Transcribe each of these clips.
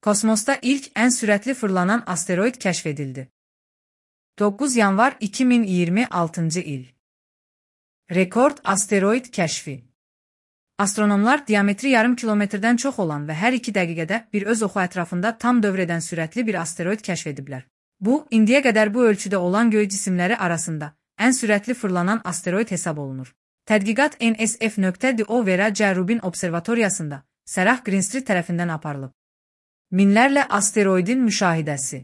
Kosmosda ilk ən sürətli fırlanan asteroid kəşf edildi. 9 yanvar 2026 il. Rekord asteroid kəşfi. Astronomlar diametri yarım kilometrdən çox olan və hər 2 dəqiqədə bir öz oxu ətrafında tam dövr edən sürətli bir asteroid kəşf ediblər. Bu, indiyə qədər bu ölçüdə olan göy cisimləri arasında ən sürətli fırlanan asteroid hesab olunur. Tədqiqat NSF.do Vera Rubin Observatoriyasında Sarah Greenstreet tərəfindən aparılıb. Minlərlə asteroidin müşahidəsi.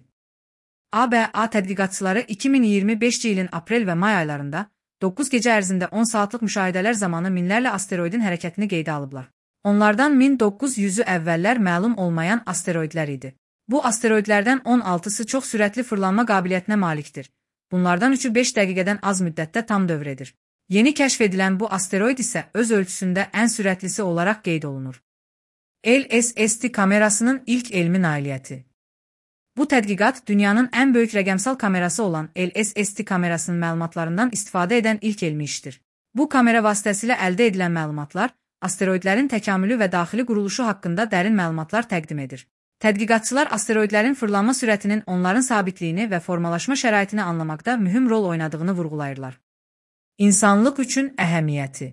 ABA tədqiqatçıları 2025 ilin aprel və may aylarında 9 gecə ərzində 10 saatlıq müşahidələr zamanı minlərlə asteroidin hərəkətini qeydə alıblar. Onlardan 1900-ü əvvəllər məlum olmayan asteroidlər idi. Bu asteroidlərdən 16-sı çox sürətli fırlanma qabiliyyətinə malikdir. Bunlardan 3-ü 5 dəqiqədən az müddətdə tam dövr edir. Yeni kəşf edilən bu asteroid isə öz ölçüsündə ən sürətlisi olaraq qeyd olunur. LSST kamerasının ilk elmi nailiyyəti. Bu tədqiqat dünyanın ən böyük rəqəmsal kamerası olan LSST kamerasının məlumatlarından istifadə edən ilk elmi işdir. Bu kamera vasitəsilə əldə edilən məlumatlar asteroidlərin təkamülü və daxili quruluşu haqqında dərin məlumatlar təqdim edir. Tədqiqatçılar asteroidlərin fırlanma sürətinin onların sabitliyini və formalaşma şəraitini anlamaqda mühüm rol oynadığını vurğulayırlar. İnsanlıq üçün əhəmiyyəti.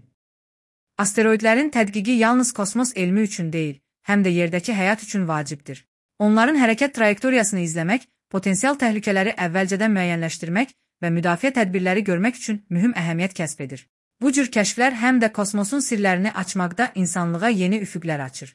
Asteroidlərin tədqiqi yalnız kosmos elmi üçün deyil, həm də yerdəki həyat üçün vacibdir. Onların hərəkət trayektoriyasını izləmək, potensial təhlükələri əvvəlcədən müəyyənləşdirmək və müdafiə tədbirləri görmək üçün mühüm əhəmiyyət kəsb edir. Bu cür kəşflər həm də kosmosun sirlərini açmaqda insanlığa yeni üfüqlər açır.